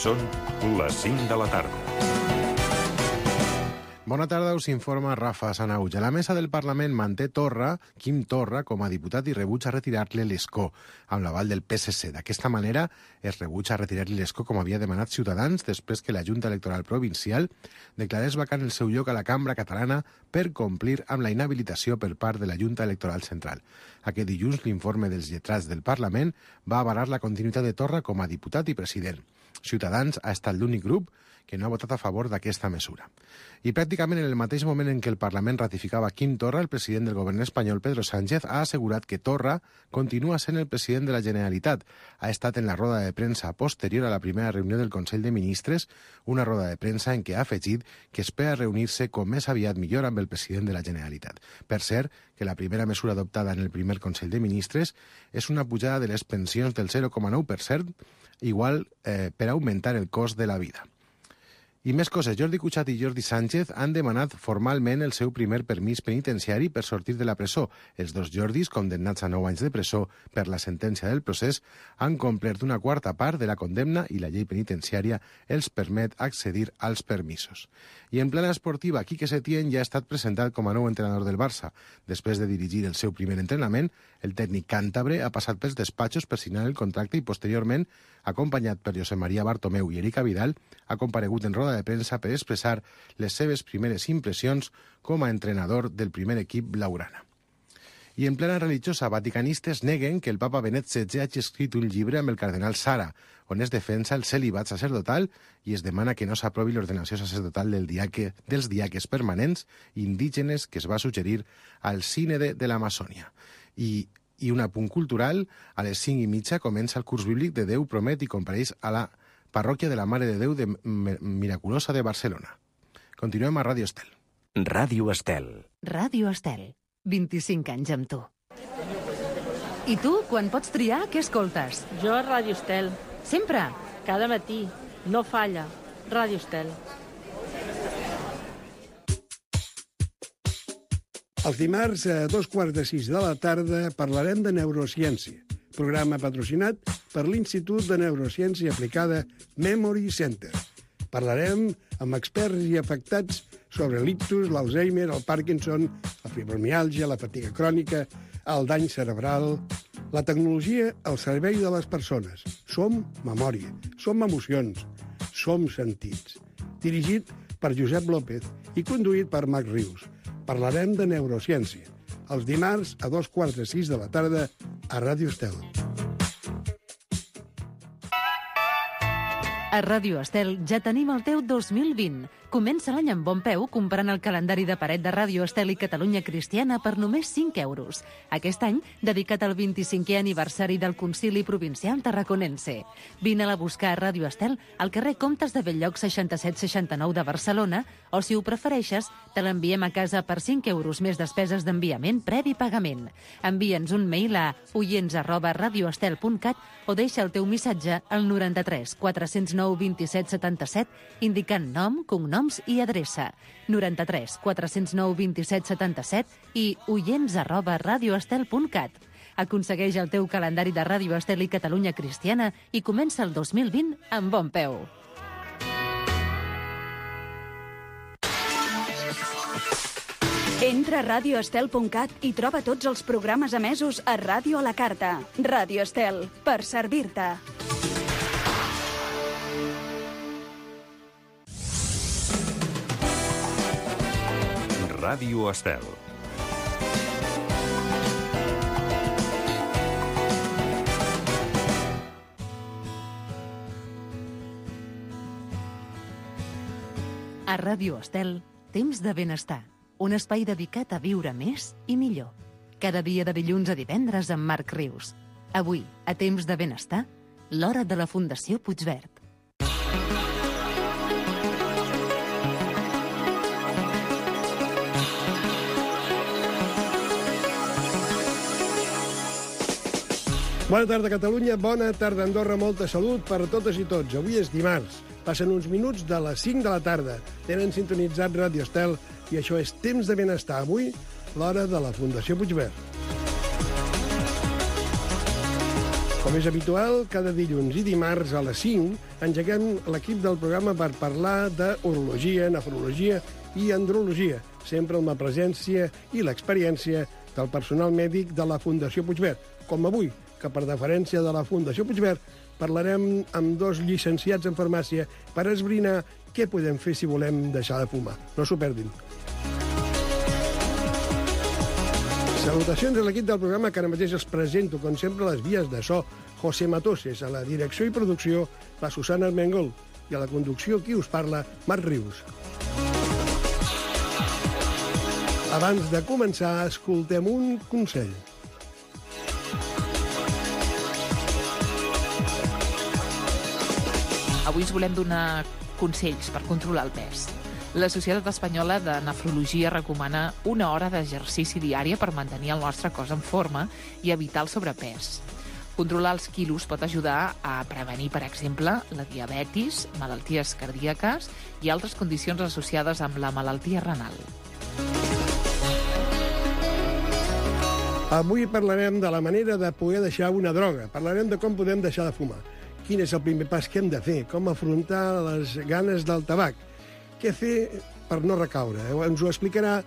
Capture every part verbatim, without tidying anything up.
Són les cinc de la tarda. Bona tarda, us informa Rafa Sanauja. La mesa del Parlament manté Torra, Quim Torra, com a diputat i rebutja retirar-li l'escó, amb l'aval del P S C. D'aquesta manera, es rebutja retirar-li l'escó com havia demanat Ciutadans després que la Junta Electoral Provincial declarés vacant el seu lloc a la Cambra Catalana per complir amb la inhabilitació per part de la Junta Electoral Central. Aquest dilluns, l'informe dels lletrats del Parlament va avalar la continuïtat de Torra com a diputat i president. Ciutadans ha estat l'únic grup que no ha votat a favor d'aquesta mesura. I pràcticament en el mateix moment en què el Parlament ratificava Quim Torra, el president del govern espanyol, Pedro Sánchez, ha assegurat que Torra continua sent el president de la Generalitat. Ha estat en la roda de premsa posterior a la primera reunió del Consell de Ministres, una roda de premsa en què ha afegit que espera reunir-se com més aviat millor amb el president de la Generalitat. Per cert, que la primera mesura adoptada en el primer Consell de Ministres és una pujada de les pensions del zero coma nou per cent, igual eh, per augmentar el cost de la vida. I més coses. Jordi Cuixart i Jordi Sánchez han demanat formalment el seu primer permís penitenciari per sortir de la presó. Els dos Jordis, condemnats a nou anys de presó per la sentència del procés, han complert una quarta part de la condemna i la llei penitenciària els permet accedir als permisos. I en plana esportiva, Quique Setién ja ha estat presentat com a nou entrenador del Barça. Després de dirigir el seu primer entrenament, el tècnic càntabre ha passat pels despatxos per signar el contracte i posteriorment, acompanyat per Josep Maria Bartomeu i Eric Vidal, ha comparegut en roda de premsa per expressar les seves primeres impressions com a entrenador del primer equip blaugrana. I en plena religiosa, vaticanistes neguen que el papa Benet setze hagi escrit un llibre amb el cardenal Sara, on es defensa el celibat sacerdotal i es demana que no s'aprovi l'ordenació sacerdotal del diaque, dels diaques permanents indígenes que es va suggerir al Sínode de l'Amazònia. I I un apunt cultural, a les cinc i mitja comença el curs bíblic de Déu promet i compareix a la parròquia de la Mare de Déu de Miraculosa de Barcelona. Continuem a Ràdio Estel. Ràdio Estel. Ràdio Estel. vint-i-cinc anys amb tu. I tu, quan pots triar, què escoltes? Jo a Ràdio Estel. Sempre? Cada matí. No falla. Ràdio Estel. Els dimarts a dos quarts de sis de la tarda parlarem de neurociència, programa patrocinat per l'Institut de Neurociència Aplicada Memory Center. Parlarem amb experts i afectats sobre l'ictus, l'Alzheimer, el Parkinson, la fibromiàlgia, la fatiga crònica, el dany cerebral, la tecnologia al servei de les persones. Som memòria, som emocions, som sentits. Dirigit per Josep López i conduït per Marc Rius. Parlarem de neurociència, els dimarts a dos quarts de sis de la tarda a Ràdio Estel. A Ràdio Estel ja tenim el teu dos mil vint. Comença l'any amb bon peu comprant el calendari de paret de Ràdio Estel i Catalunya Cristiana per només cinc euros. Aquest any, dedicat al vint-i-cinquè aniversari del Concili Provincial Tarraconense. Vine-la a buscar a Ràdio Estel al carrer Comtes de Belllloc seixanta-set seixanta-nou de Barcelona o, si ho prefereixes, te l'enviem a casa per cinc euros més despeses d'enviament previ pagament. Envia'ns un mail a oients arroba radioestel punt cat o deixa el teu missatge al noranta-tres quatre-cents nou vint-i-set setanta-set indicant nom, cognom i adreça noranta-tres quatre-cents nou vint-i-set setanta-set i oients arroba radioestel punt cat. Aconsegueix el teu calendari de Ràdio Estel i Catalunya Cristiana i comença el dos mil vint amb bon peu. Entra a radioestel punt cat i troba tots els programes emesos a Ràdio a la Carta. Ràdio Estel, per servir-te. Ràdio Estel. A Ràdio Estel, temps de benestar. Un espai dedicat a viure més i millor. Cada dia de dilluns a divendres amb Marc Rius. Avui, a temps de benestar, l'hora de la Fundació Puigverd. Bona tarda, Catalunya. Bona tarda, Andorra. Molta salut per totes i tots. Avui és dimarts. Passen uns minuts de les cinc de la tarda. Tenen sintonitzat Ràdio Estel i això és Temps de Benestar. Avui, l'hora de la Fundació Puigverd. Com és habitual, cada dilluns i dimarts a les cinc engeguem l'equip del programa per parlar d'urologia, nefrologia i andrologia, sempre amb la presència i l'experiència del personal mèdic de la Fundació Puigverd, com avui, que per deferència de la Fundació Puigverd parlarem amb dos llicenciats en farmàcia per esbrinar què podem fer si volem deixar de fumar. No s'ho perdin. Salutacions a l'equip del programa, que ara mateix els presento, com sempre, les vies de so. José Matoses, a la direcció i producció, la Susana Armengol, i a la conducció, qui us parla, Marc Rius. Abans de començar, escoltem un consell. Avui us volem donar consells per controlar el pes. La Societat Espanyola de Nefrologia recomana una hora d'exercici diària per mantenir el nostre cos en forma i evitar el sobrepès. Controlar els quilos pot ajudar a prevenir, per exemple, la diabetis, malalties cardíaques i altres condicions associades amb la malaltia renal. Avui parlarem de la manera de poder deixar una droga. Parlarem de com podem deixar de fumar. Quin és el primer pas que hem de fer? Com afrontar les ganes del tabac? Què fer per no recaure? Ens ho explicarà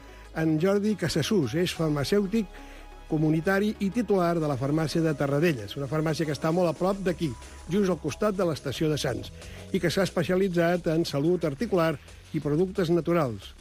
en Jordi Casassús. És farmacèutic comunitari i titular de la farmàcia de Tarradellas, una farmàcia que està molt a prop d'aquí, just al costat de l'estació de Sants, i que s'ha especialitzat en salut articular i productes naturals,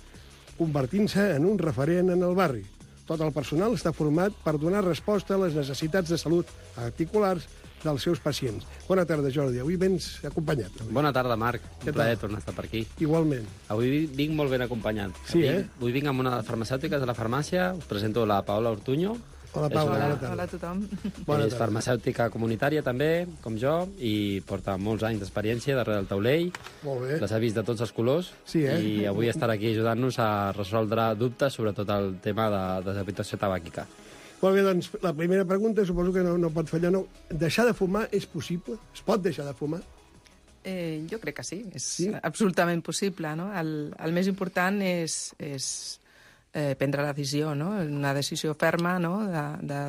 convertint-se en un referent en el barri. Tot el personal està format per donar resposta a les necessitats de salut articulars dels seus pacients. Bona tarda, Jordi. Avui vens acompanyat. Avui. Bona tarda, Marc. Què Un plaer tal? tornar a estar per aquí. Igualment. Avui vinc molt ben acompanyat. Sí, avui, eh? Avui vinc amb una de les farmacèutiques de la farmàcia. Us presento la Paola Ortuño. Hola, Paula. una- Bona tarda. Hola a tothom. Bona és tarda. farmacèutica comunitària també, com jo, i porta molts anys d'experiència darrere del taulell. Molt bé. Les ha vist de tots els colors. Sí, eh? I avui estarà aquí ajudant-nos a resoldre dubtes sobre tot el tema de deshabitació tabàquica. Molt bé, doncs, la primera pregunta, suposo que no, no pot fallar, no. Deixar de fumar és possible? Es pot deixar de fumar? Eh, jo crec que sí, és Sí? sí? absolutament possible. No? El, el més important és, és eh, prendre la decisió, no? Una decisió ferma, no? De, de,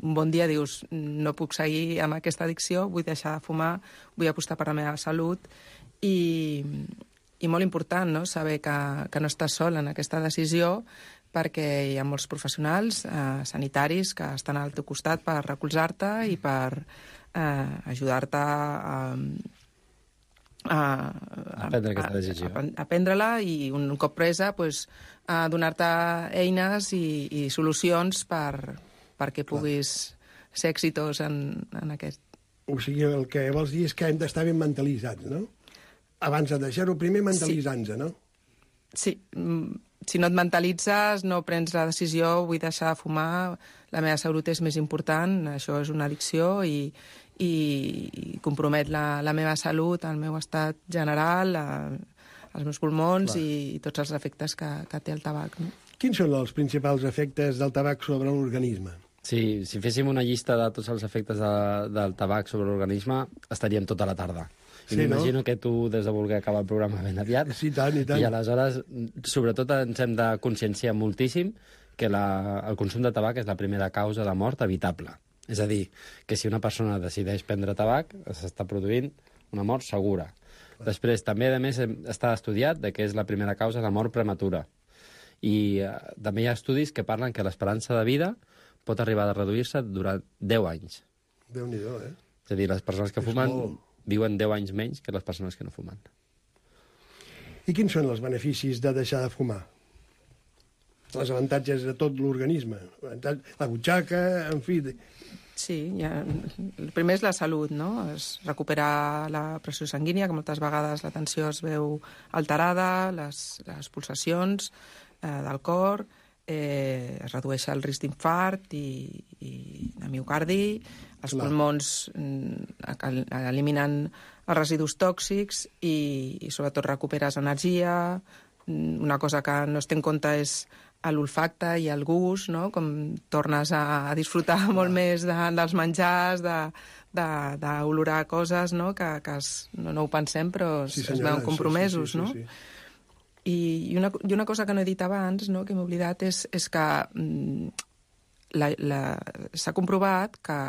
un bon dia dius, no puc seguir amb aquesta addicció, vull deixar de fumar, vull apostar per la meva salut, i, i molt important, no? Saber que, que no estàs sol en aquesta decisió, perquè hi ha molts professionals eh, sanitaris que estan al teu costat per recolzar-te i per eh, ajudar-te a, a, A prendre aquesta decisió. A, a prendre-la i un cop presa pues, a donar-te eines i, i solucions per, perquè puguis ser exitós en, en aquest. O sigui, el que vols dir és que hem d'estar ben mentalitzats, no? Abans de deixar-ho, primer mentalitzant-nos, no? Sí, mm, si no et mentalitzes, no prens la decisió, vull deixar de fumar, la meva salut és més important, això és una addicció i, i, i compromet la, la meva salut, el meu estat general, la, els meus pulmons i, i tots els efectes que, que té el tabac. No? Quins són els principals efectes del tabac sobre l'organisme? Sí, si féssim una llista de tots els efectes de, del tabac sobre l'organisme, estaríem tota la tarda. I Sí, m'imagino no? que tu des de voler acabar el programa ben aviat. Sí, tant, i tant. I aleshores, sobretot, ens hem de conscienciar moltíssim que la, el consum de tabac és la primera causa de mort evitable. És a dir, que si una persona decideix prendre tabac, s'està produint una mort segura. Després, també, a més, està estudiat de que és la primera causa de mort prematura. I eh, també hi ha estudis que parlen que l'esperança de vida pot arribar a reduir-se durant deu anys. Déu-n'hi-do, eh? És a dir, les persones que És fumen molt. viuen deu anys menys que les persones que no fumen. I quins són els beneficis de deixar de fumar? Els avantatges de tot l'organisme. La butxaca, en fi... Sí, ja, el primer és la salut, no? És recuperar la pressió sanguínia, que moltes vegades la tensió es veu alterada, les, les pulsacions eh, del cor, eh, es redueix el risc d'infart i, i de miocardi, els Clar. pulmons mm, eliminen els residus tòxics i, i sobretot recuperes energia. Una cosa que no es té en compte és l'olfacte i el gust, no? Com tornes a, a disfrutar molt més de, dels menjars, d'olorar coses, no? Que, que es, no, no ho pensem, però Sí, es senyora, veuen compromesos, sí, sí, sí, no? sí, sí. I, i, una, I una cosa que no he dit abans, no? Que m'he oblidat, és, és que mm, s'ha comprovat que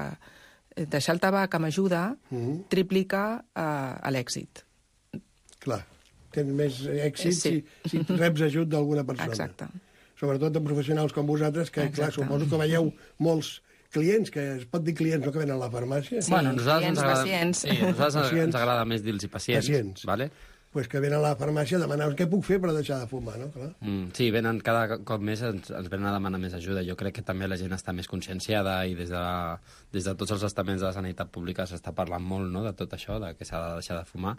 deixar el tabac amb ajuda Mhm. triplica eh, l'èxit. Clar, tens més èxit Sí. si, si reps ajut d'alguna persona. Exacte. Sobretot de professionals com vosaltres, que, clar, Exacte. suposo que veieu molts clients, que es pot dir clients, no, que venen a la farmàcia, Sí. Bueno, a nosaltres clients, ens agrada, pacients. sí, a nosaltres ens- Pacients. ens agrada més dir-los pacients. Pacients. Vale? pues que venen a la farmàcia a demanar què puc fer per deixar de fumar, no? Clar. Mm, sí, venen cada cop més, ens, ens venen a demanar més ajuda. Jo crec que també la gent està més conscienciada i des de, la, des de tots els estaments de la sanitat pública s'està parlant molt, no?, de tot això, de que s'ha de deixar de fumar.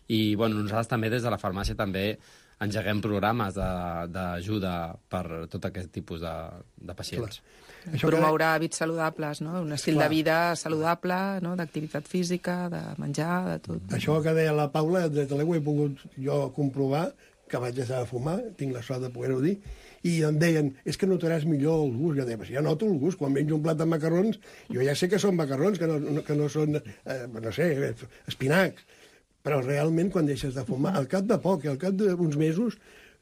I bueno, nosaltres també des de la farmàcia també engeguem programes de- d'ajuda per tot aquest tipus de, de pacients. Això Promoure hàbits saludables, no? Un estil Clar. de vida saludable, no? D'activitat física, de menjar, de tot. Això que deia la Paula, des de l'ego he pogut jo comprovar que vaig deixar de fumar, tinc la sort de poder-ho dir, i em deien, és que notaràs millor el gust. Jo deia, ja noto el gust, quan menjo un plat de macarrons, jo ja sé que són macarrons, que no, que no són, eh, no sé, espinacs, però realment quan deixes de fumar, al cap de poc, al cap d'uns mesos,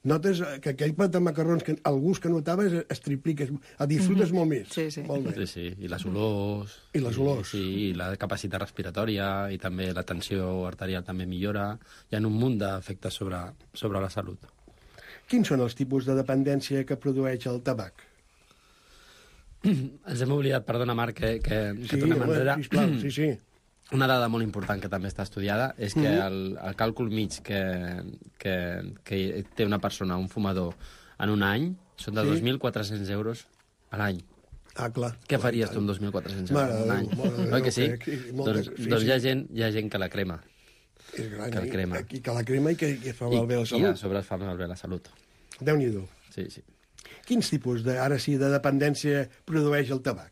notes que aquell plat de macarrons, que el gust que notaves es triplica, el disfrutes molt més. Sí, sí. Molt Sí, bé. sí, i les olors... I les olors. Sí, i la capacitat respiratòria, i també la tensió arterial també millora. Hi ha un munt d'efectes sobre, sobre la salut. Quins són els tipus de dependència que produeix el tabac? Ens hem oblidat, perdona, Marc, que, que, que Sí, tornem home, enrere. sisplau, sí, sí. Una dada molt important que també està estudiada és que Mhm. el, el càlcul mig que, que, que té una persona, un fumador, en un any, són de Sí. dos mil quatre-cents euros a l'any. Ah, clar. Què faries tu amb dos mil quatre-cents Mare euros de a l'any? Déu, mare de Oi Déu, que sí? que- que molta- doncs sí, doncs sí. Hi, ha gent, hi ha gent que la crema. És gran, Que el i- crema. I que la crema i que, que fa I, malbé la I a salut. sobre es fa malbé la salut. Déu-n'hi-do. Sí, sí. Quins tipus, de, ara sí, de dependència produeix el tabac?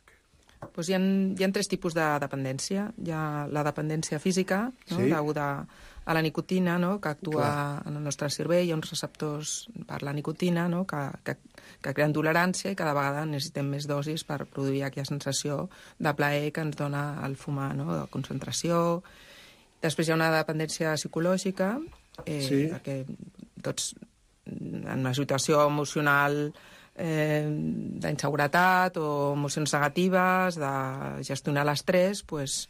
Pues hi ha, hi ha tres tipus de dependència. Hi ha la dependència física, no? Sí. Deguda a la nicotina, no? Que actua Clar. en el nostre cervell. Hi ha uns receptors per la nicotina, no? que, que, que creen tolerància i cada vegada necessitem més dosis per produir aquella sensació de plaer que ens dona el fumar, no? De concentració. Després hi ha una dependència psicològica, eh, Sí. perquè tots en una situació emocional eh, d'inseguretat o emocions negatives, de gestionar l'estrès, pues,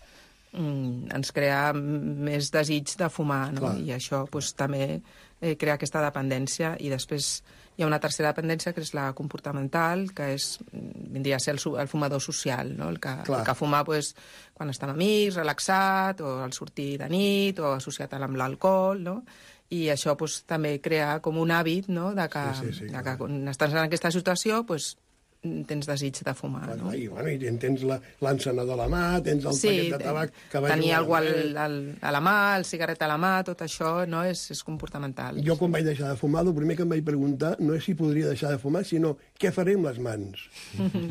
mm, ens crea més desig de fumar, no? Clar. I això pues, també eh, crea aquesta dependència. I després hi ha una tercera dependència, que és la comportamental, que és, vindria a ser el, su- el fumador social, no? el, que, Clar. el que fuma pues, quan està amb amics, relaxat, o al sortir de nit, o associat amb l'alcohol, no? I això pues, també crea com un hàbit, no?, de que, Sí, sí, sí, de clar. que quan estàs en aquesta situació pues, tens desig de fumar. Bueno, No? i, bueno, i tens la- l'encenedor a la mà, tens el Sí, paquet de tabac que va tenir jugar algú al, amb ell. al, a la mà, el cigarret a la mà, tot això no és, és comportamental. Jo, quan vaig deixar de fumar, el primer que em vaig preguntar no és si podria deixar de fumar, sinó què faré amb les mans.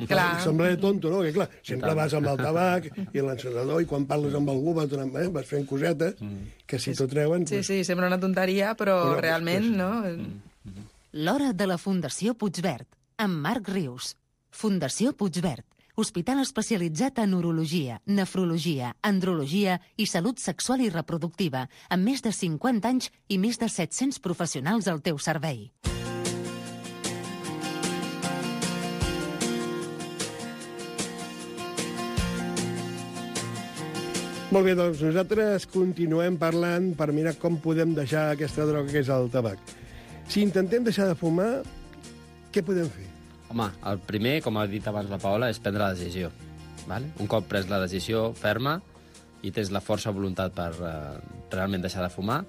Clar. Sembla tonto, no? Que, clar, sempre tant. vas amb el tabac i l'encenedor, i quan parles amb algú vas, donant, eh, vas fent cosetes, que si t'ho treuen... Sí, Pues, sí, sembla una tonteria, però Però, realment, pues, no? L'hora de la Fundació Puigverd, amb Marc Rius. Fundació Puigverd, hospital especialitzat en urologia, nefrologia, andrologia i salut sexual i reproductiva, amb més de cinquanta anys i més de set-cents professionals al teu servei. Molt bé, doncs nosaltres continuem parlant per mirar com podem deixar aquesta droga que és el tabac. Si intentem deixar de fumar, què podem fer? Home, el primer, com ha dit abans la Paola, és prendre la decisió. Vale? Un cop pres la decisió ferma i tens la força voluntat per eh, realment deixar de fumar,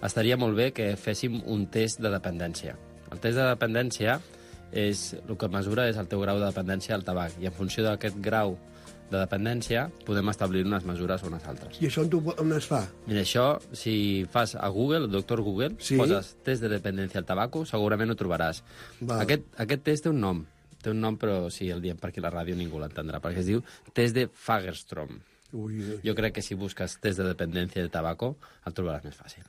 estaria molt bé que féssim un test de dependència. El test de dependència és, el que mesura és el teu grau de dependència al tabac, i en funció d'aquest grau de dependència podem establir unes mesures o unes altres. I això on, tu, on es fa? Mira, això, si fas a Google, el doctor Google, Sí. poses test de dependència al tabaco, segurament ho trobaràs. Val. Aquest, aquest test té un nom, té un nom, però si el diem per aquí a la ràdio ningú l'entendrà, perquè es diu test de Fagerstrom. Ui, ui. Jo crec que si busques test de dependència de tabaco, el trobaràs més fàcil.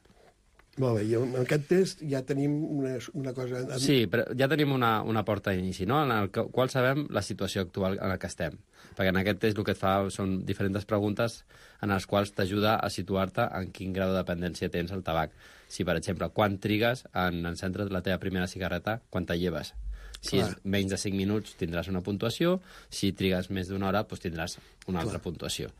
Molt bé, i amb aquest test ja tenim una, una cosa... Sí, però ja tenim una, una porta d'inici, no?, en el que- qual sabem la situació actual en la que estem. Perquè en aquest test el que et fa són diferents preguntes en les quals t'ajuda a situar-te en quin grau de dependència tens al tabac. Si, per exemple, quan trigues en encendre la teva primera cigarreta quan te lleves. Si Clar. és menys de cinc minuts tindràs una puntuació, si trigues més d'una hora doncs tindràs una Clar. altra puntuació.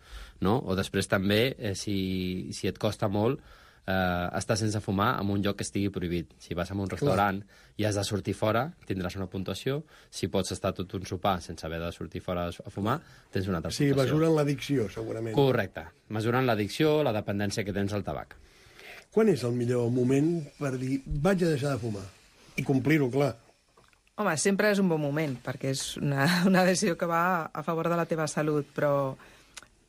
No? O després també, eh, si, si et costa molt, eh, estar sense fumar en un lloc que estigui prohibit. Si vas a un restaurant Clar. i has de sortir fora, tindràs una puntuació. Si pots estar tot un sopar sense haver de sortir fora a fumar, tens una altra sí, puntuació. Sí, mesuren l'addicció, segurament. Correcte. Mesuren l'addicció, la dependència que tens al tabac. Quan és el millor moment per dir vaig a deixar de fumar? I complir-ho, clar. Home, sempre és un bon moment, perquè és una, una decisió que va a favor de la teva salut, però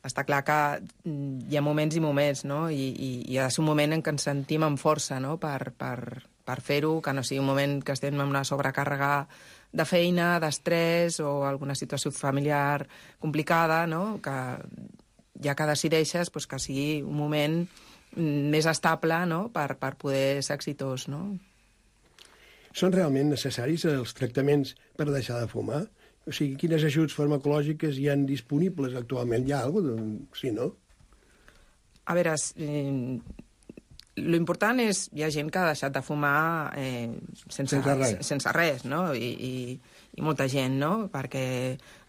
està clar que hi ha moments i moments, no? I, i, i ha de ser un moment en què ens sentim amb força, no?, per, per, per fer-ho, que no sigui un moment que estem en una sobrecàrrega de feina, d'estrès o alguna situació familiar complicada, no?, que ja que decideixes doncs, que sigui un moment més estable, no?, per, per poder ser exitós, no? Són realment necessaris els tractaments per deixar de fumar? O sigui, quines ajuts farmacològiques hi han disponibles actualment? Hi ha alguna cosa? Sí, no? A veure, eh, l'important és... Hi ha gent que ha deixat de fumar eh, sense, sense res, sense res, no? I, i, i molta gent, no? Perquè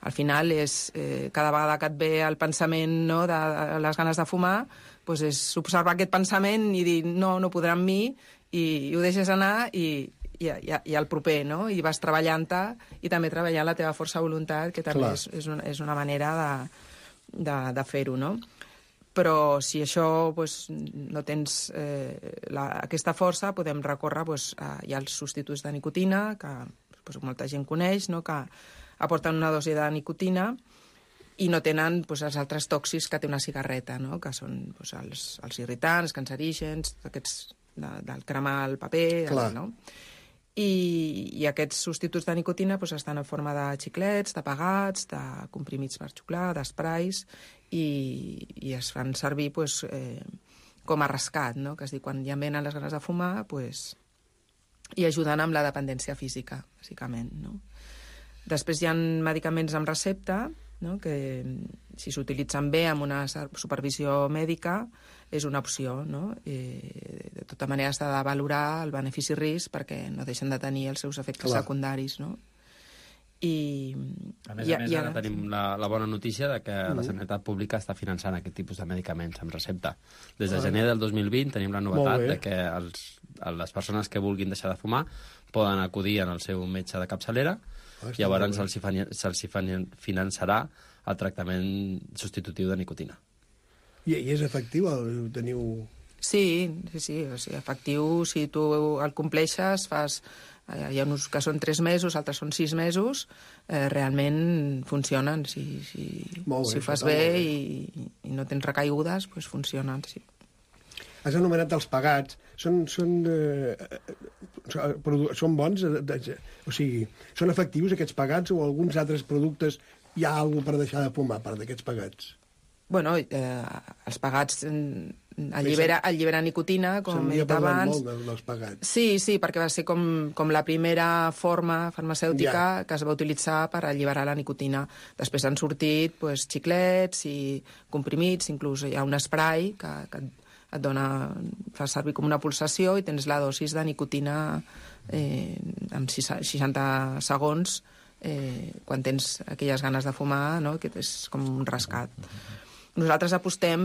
al final és... Eh, cada vegada que et ve el pensament, no?, de, de les ganes de fumar, doncs és observar aquest pensament i dir no, no podrà amb mi, i, i ho deixes anar i... I, i, i el proper, no? I vas treballant-te i també treballant la teva força de voluntat, que també és, és, una, és una manera de, de, de fer-ho, no? Però si això pues, no tens eh, la, aquesta força, podem recórrer pues, a, hi ha els substituts de nicotina, que pues, molta gent coneix, no? Que aporten una dosi de nicotina i no tenen pues, els altres tòxics que té una cigarreta, no? Que són pues, els, els irritants, cancerígens, aquests de, del cremar el paper, Clar. no? I, i aquests substituts de nicotina doncs, estan en forma de xiclets, de pegats, de comprimits per xuclar, d'esprais, i, i es fan servir doncs, eh, com a rescat, no? Que és dir, quan ja venen les ganes de fumar, doncs, i ajuden amb la dependència física, bàsicament, no? Després hi ha medicaments amb recepta, no? Que si s'utilitzen bé amb una supervisió mèdica és una opció, no? I de tota manera s'ha de valorar el benefici-risc perquè no deixen de tenir els seus efectes Clar. secundaris, no? I, a més a més, ara tenim la, la bona notícia de que mm. la Sanitat Pública està finançant aquest tipus de medicaments amb recepta. Des de gener del dos mil vint tenim la novetat de que els, les persones que vulguin deixar de fumar poden acudir al seu metge de capçalera ah, i llavors se'ls se finançarà el tractament substitutiu de nicotina. I, i és efectiu? El teniu... Sí, sí, sí, o sigui, efectiu, si tu el compleixes, fas... Hi ha uns que són tres mesos, altres són sis mesos, eh, realment funcionen. Si, si, bé, si ho fas bé, bé i, i no tens recaigudes, doncs funcionen, sí. Has anomenat els pegats. Són, són, eh, són bons? O sigui, són efectius aquests pegats o alguns altres productes hi ha alguna per deixar de fumar, a part d'aquests pegats? Bueno, eh, els pegats allibera, allibera nicotina, com he dit abans. Molt dels pegats. Sí, sí, perquè va ser com, com la primera forma farmacèutica ja. que es va utilitzar per alliberar la nicotina. Després han sortit pues, xiclets i comprimits, inclús hi ha un spray que, que et dona, fa servir com una pulsació i tens la dosis de nicotina eh, en seixanta segons eh, quan tens aquelles ganes de fumar, no? Que és com un rescat. Nosaltres apostem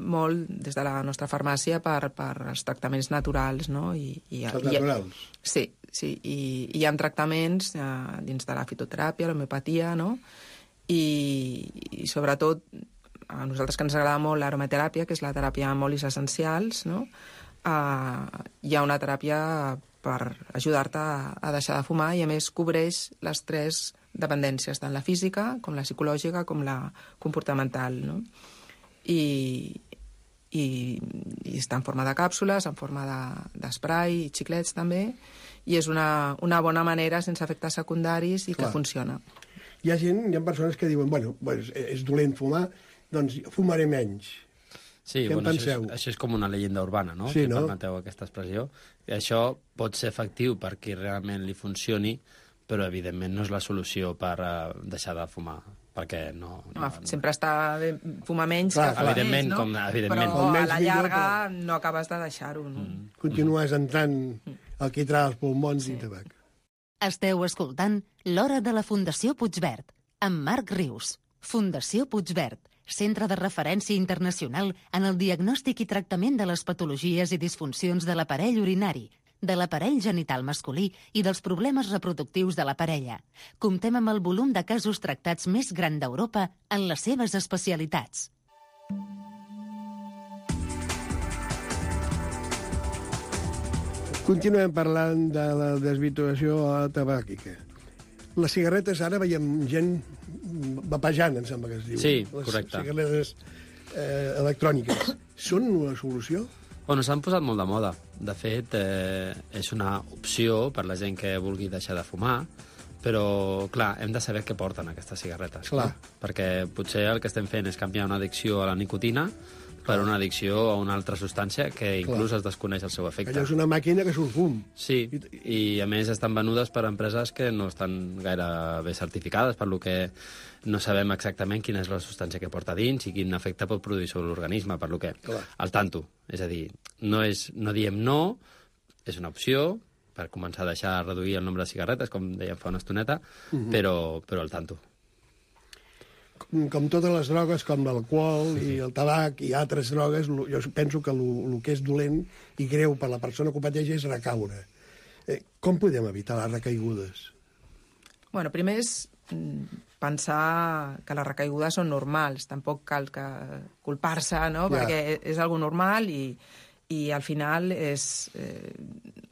molt des de la nostra farmàcia per, per els tractaments naturals, no? I, i, els naturals? I, sí, sí, i, i hi ha tractaments eh, dins de la fitoteràpia, l'homeopatia, no? I, i sobretot a nosaltres que ens agrada molt l'aromateràpia, que és la teràpia amb olis essencials, no? Uh, hi ha una teràpia per ajudar-te a, a deixar de fumar i a més cobreix les tres dependències, tant la física com la psicològica com la comportamental, no? I, i, i està en forma de càpsules, en forma d'esprai de, i xiclets també, i és una, una bona manera sense efectes secundaris i Clar. que funciona. Hi ha gent, hi ha persones que diuen, bueno, pues, és dolent fumar, doncs fumaré menys. Sí, Què bueno, en això, penseu? és, això és com una llegenda urbana, no? Sí, si no? permeteu aquesta expressió. I això pot ser efectiu per qui realment li funcioni, però evidentment no és la solució per uh, deixar de fumar, perquè no... no, no sempre està bé fumar menys clar, que fumar evidentment, més, no? Com, evidentment. Però a la llarga millor, però... no acabes de deixar-ho, no? Mm. Continues entrant el quitrà als pulmons sí. i tabac. Esteu escoltant L'Hora de la Fundació Puigverd, amb Marc Rius. Fundació Puigverd, centre de referència internacional en el diagnòstic i tractament de les patologies i disfuncions de l'aparell urinari, de l'aparell genital masculí i dels problemes reproductius de la parella. Comptem amb el volum de casos tractats més gran d'Europa en les seves especialitats. Continuem parlant de la desvirtuació tabàquica. Les cigarretes, ara veiem gent vapejant, em sembla que es diu. Sí, les correcte. Les cigarretes eh, electròniques. Són una solució? Bueno, s'han posat molt de moda. De fet, eh, és una opció per la gent que vulgui deixar de fumar, però, clar, hem de saber què porten aquestes cigarretes. Clar. No? Perquè potser el que estem fent és canviar una addicció a la nicotina per una addicció a una altra substància que inclús Clar. es desconeix el seu efecte. Allò és una màquina que surt fum. Sí, i a més estan venudes per empreses que no estan gaire bé certificades, per lo que no sabem exactament quina és la substància que porta dins i quin efecte pot produir sobre l'organisme, per lo que Clar. al tanto. És a dir, no, és, no diem no, és una opció per començar a deixar reduir el nombre de cigarretes, com dèiem fa una estoneta, uh-huh. però, però al tanto. Com totes les drogues, com l'alcohol i el tabac i altres drogues, jo penso que el que és dolent i greu per la persona que ho pateix és recaure. Eh, com podem evitar les recaigudes? Bueno, primer és pensar que les recaigudes són normals. Tampoc cal que culpar-se, no? Ja. Perquè és algo normal i, i al final és eh,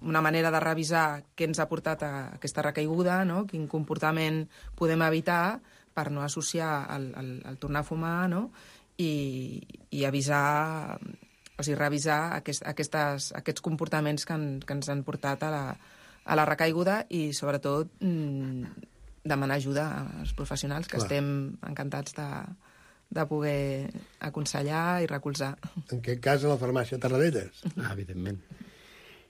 una manera de revisar què ens ha portat a aquesta recaiguda, no? Quin comportament podem evitar per no associar el, el, el tornar a fumar, no? I, i avisar, o sigui, revisar aquest, aquestes, aquests comportaments que, en, que ens han portat a la, a la recaiguda i, sobretot, mmm, demanar ajuda als professionals, que Clar. estem encantats de, de poder aconsellar i recolzar. En aquest cas, a la farmàcia Tarradellas. Ah, evidentment.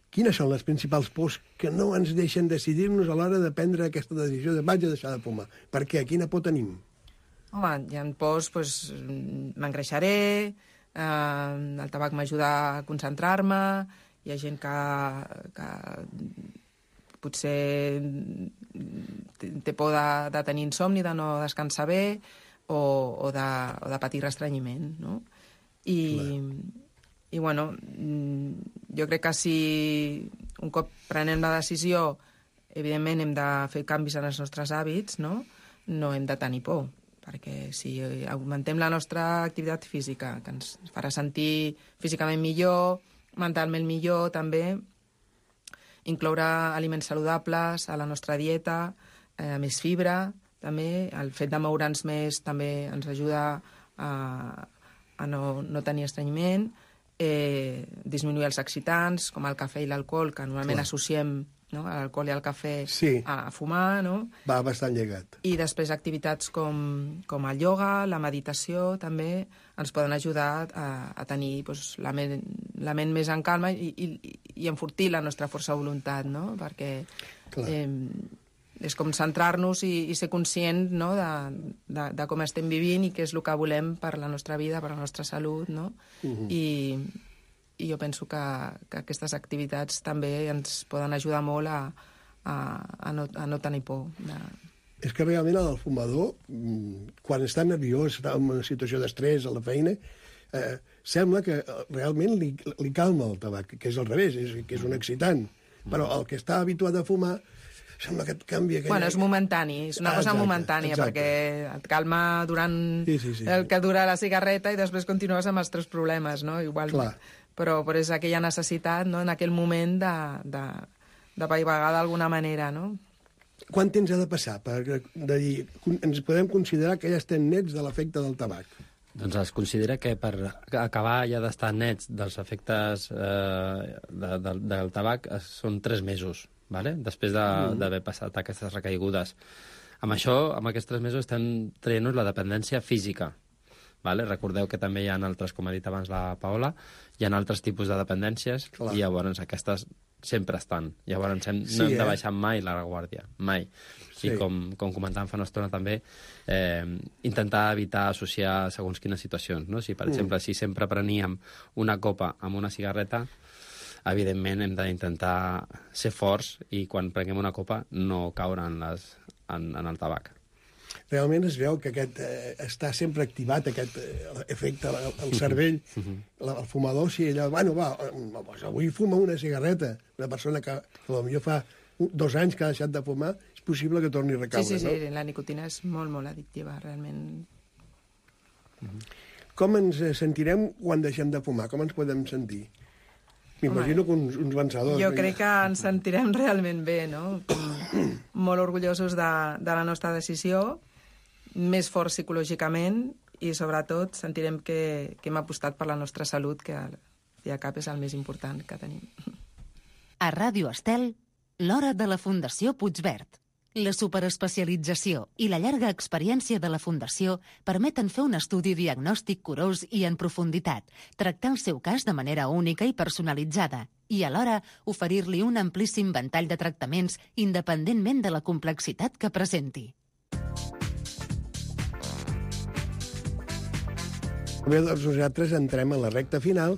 Quines són les principals pors que no ens deixen decidir-nos a l'hora de prendre aquesta decisió de vaig a deixar de fumar? Per què? Quina por tenim? Home, hi ha pors, doncs, m'engreixaré, eh, el tabac m'ajuda a concentrar-me, hi ha gent que, que potser té por de, de tenir insomni, de no descansar bé, o, o, de, o de patir restrenyiment, no? I... Clar. I, bueno, jo crec que si un cop prenem la decisió, evidentment hem de fer canvis en els nostres hàbits, no? No hem de tenir por, perquè si augmentem la nostra activitat física, que ens farà sentir físicament millor, mentalment millor, també, incloure aliments saludables a la nostra dieta, eh, més fibra, també, el fet de moure'ns més també ens ajuda a, a no, no tenir estrenyiment, Eh, disminuir els excitants, com el cafè i l'alcohol, que normalment Clar. associem, no, l'alcohol i el cafè sí. a, a fumar, no? Va bastant llegat. I després activitats com, com el ioga, la meditació, també ens poden ajudar a, a tenir doncs, la, ment, la ment més en calma i, i, i enfortir la nostra força de voluntat, no? Perquè eh, és com centrar-nos i, i ser conscient, no? de, de, de com estem vivint i què és el que volem per la nostra vida, per la nostra salut, no? Uh-huh. I, I jo penso que, que aquestes activitats també ens poden ajudar molt a, a, a, no, a no tenir por. De... És que realment el fumador, quan està nerviós, està en una situació d'estrès a la feina, eh, sembla que realment li, li calma el tabac, que és al revés, és, que és un excitant. Però el que està habituat a fumar sembla que et canvia... Aquella... Bueno, és momentani, és una ah, cosa exacte, momentània, exacte. Perquè et calma durant sí, sí, sí, el que dura la cigarreta i després continues amb els teus problemes, no? Igual, Clar. Però, però és aquella necessitat, no?, en aquell moment de, de, de paivagar d'alguna manera, no? Quant temps ha de passar per de dir, ens podem considerar que ja estem nets de l'efecte del tabac? Doncs es considera que per acabar ja d'estar nets dels efectes eh, de, de, del tabac són tres mesos, vale? Després d'haver de, passat aquestes recaigudes. Amb això, amb aquests tres mesos, estem traient-nos la dependència física. Vale? Recordeu que també hi ha altres, com ha dit abans la Paola, hi ha altres tipus de dependències Clar. I llavors aquestes sempre estan. Llavors hem, sí, no hem de baixar eh? mai la guàrdia, mai. Sí. I com, com comentàvem fa una estona també, eh, intentar evitar associar segons quines situacions. No? Si, per mm. exemple, si sempre preníem una copa amb una cigarreta, evidentment hem d'intentar ser forts i quan prenguem una copa no caure en, les, en, en el tabac. Realment es veu que aquest, eh, està sempre activat aquest eh, efecte al, al cervell. La, el fumador, si ella... Bueno, va, doncs avui fuma una cigarreta. Una persona que potser fa dos anys que ha deixat de fumar, és possible que torni a recaure, sí, sí, sí, no? La nicotina és molt, molt addictiva, realment. Com ens sentirem quan deixem de fumar? Com ens podem sentir? M'imagino que uns, uns vencedors. Jo crec que ens sentirem realment bé, no? Molt orgullosos de, de la nostra decisió, més forts psicològicament i, sobretot, sentirem que, que hem apostat per la nostra salut, que al fi i al cap és el més important que tenim. A Ràdio Estel, l'hora de la Fundació Puigverd. La superespecialització i la llarga experiència de la Fundació permeten fer un estudi diagnòstic curós i en profunditat, tractar el seu cas de manera única i personalitzada i, alhora, oferir-li un amplíssim ventall de tractaments independentment de la complexitat que presenti. Bé, doncs nosaltres entrem a la recta final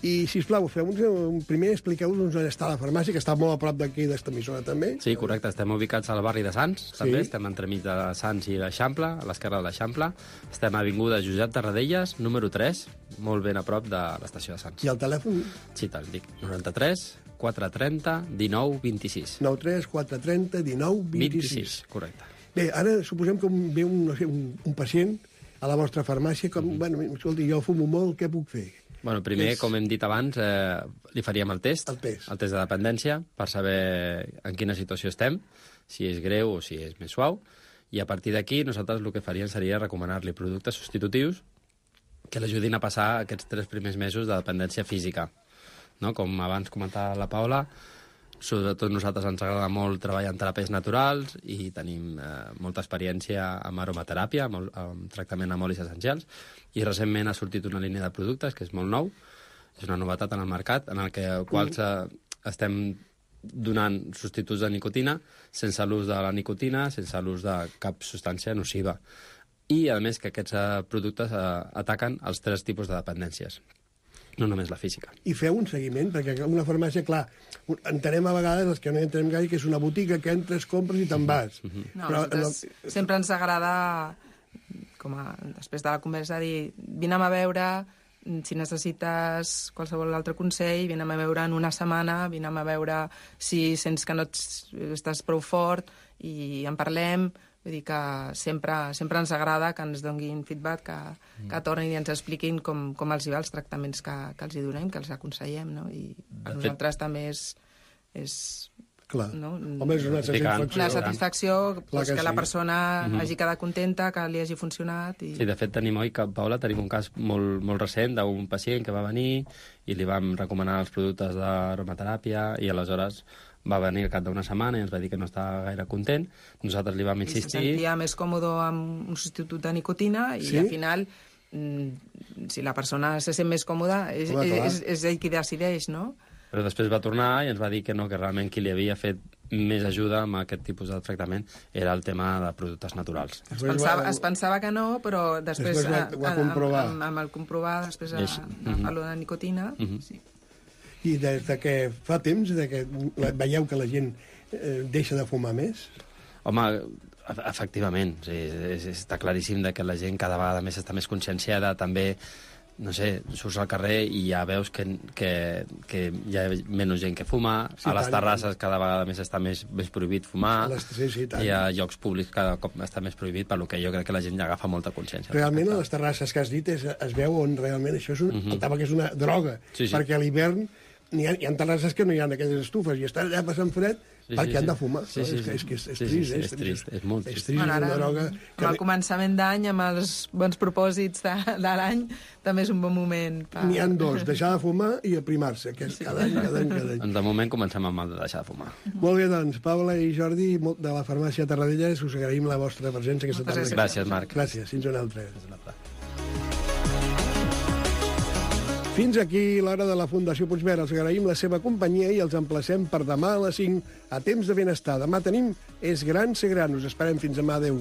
i, sisplau, feu-nos un primer, expliqueu-nos on està la farmàcia, que està molt a prop d'aquí, d'esta emissora, també. Sí, correcte. Estem ubicats al barri de Sants, Sí. també. Estem entremig de Sants i l'Eixample, a l'esquerra de l'Eixample. Estem a Avinguda Josep Tarradellas, número tres, molt ben a prop de l'estació de Sants. I el telèfon? Sí, te'l dic. noranta-tres quatre trenta dinou vint-i-sis. nou tres quatre trenta dinou vint-i-sis. vint-i-sis, correcte. Bé, ara suposem que ve un, no sé, un, un pacient a la vostra farmàcia, com, mm-hmm. bueno, escolti, jo fumo molt, què puc fer? Bueno, primer, És- com hem dit abans, eh, li faríem el test, El test. el test de dependència, per saber en quina situació estem, si és greu o si és més suau, i a partir d'aquí nosaltres el que faríem seria recomanar-li productes substitutius que l'ajudin a passar aquests tres primers mesos de dependència física. No? Com abans comentava la Paula, sobretot nosaltres ens agrada molt treballar en teràpies naturals i tenim eh, molta experiència amb aromateràpia, amb, amb tractament amb olis essencials, i recentment ha sortit una línia de productes que és molt nou, és una novetat en el mercat, en el que quals eh, estem donant substituts de nicotina sense l'ús de la nicotina, sense l'ús de cap substància nociva. I, a més, que aquests eh, productes eh, ataquen els tres tipus de dependències, no només la física. I feu un seguiment, perquè una farmàcia, clar, entenem a vegades, els que no hi entenem gaire, que és una botiga que entres, compres i te'n vas. No, nosaltres sempre ens agrada, com a, després de la conversa, dir, vinem a veure, si necessites qualsevol altre consell, vinem a veure en una setmana, vinem a veure si sents que no ets, estàs prou fort i en parlem. Vull dir que sempre, sempre ens agrada que ens donguin feedback, que, mm. que tornin i ens expliquin com, com els hi va els tractaments que, que els hi donem, que els aconsellem, no? I a nosaltres també és... és Clar. No? Home, és una satisfacció. Una satisfacció pues, que, que la sí. persona Mm-hmm. hagi quedat contenta, que li hagi funcionat. I... Sí, de fet, tenim, oi, que, Paula, tenim un cas molt, molt recent d'un pacient que va venir i li vam recomanar els productes d'aromateràpia i aleshores va venir al cap d'una setmana i ens va dir que no estava gaire content. Nosaltres li vam I se insistir... sentia més còmode amb un substitut de nicotina i Sí? al final, mm, si la persona se sent més còmoda, és, Home, clar. és, és ell qui decideix, no? Però després va tornar i ens va dir que no, que realment qui li havia fet més ajuda amb aquest tipus de tractament era el tema de productes naturals. Es Després pensava, va- es pensava que no, però després, Després va- a- va a- comprovar. Amb, amb el comprovar, després a, És- a, mhm. a lo de nicotina, Mhm. sí. I des de que fa temps, de que veieu que la gent eh, deixa de fumar més? Home, e- efectivament, sí, és, està claríssim de que la gent cada vegada més està més conscienciada, també, no sé, surts al carrer i ja veus que, que, que hi ha menys gent que fuma, Sí, a les tant. terrasses cada vegada més està més, més prohibit fumar, A les- sí, sí, tant. i a llocs públics cada cop està més prohibit, per lo que jo crec que la gent ja agafa molta consciència. Realment, a les terrasses que has dit es, es veu on realment això és un, el tabac és una droga, Sí, sí. perquè a l'hivern n'hi ha, hi ha terrasses que no hi ha aquelles estufes i estan allà passant fred Sí, perquè sí, han sí. de fumar. Sí, no? sí, és, que, sí. és que és, és Sí, sí, trist, sí, eh? és trist, és molt trist. És trist, Bueno, és ara, una droga... amb el començament d'any, amb els bons propòsits de, de l'any, també és un bon moment. Per... N'hi ha dos, deixar de fumar i aprimar-se, que és cada any, cada any, cada any. De moment comencem amb el de deixar de fumar. Molt bé, doncs, Paula i Jordi, molt- de la farmàcia Tarradellas, us agraïm la vostra presència aquesta Moltes tarda. Gràcies, Marc. Gràcies, fins una altra. Fins aquí l'hora de la Fundació Puigverd. Els agraïm la seva companyia i els emplacem per demà a les cinc a Temps de Benestar. Demà tenim És gran ser gran. Us esperem fins demà. Adéu.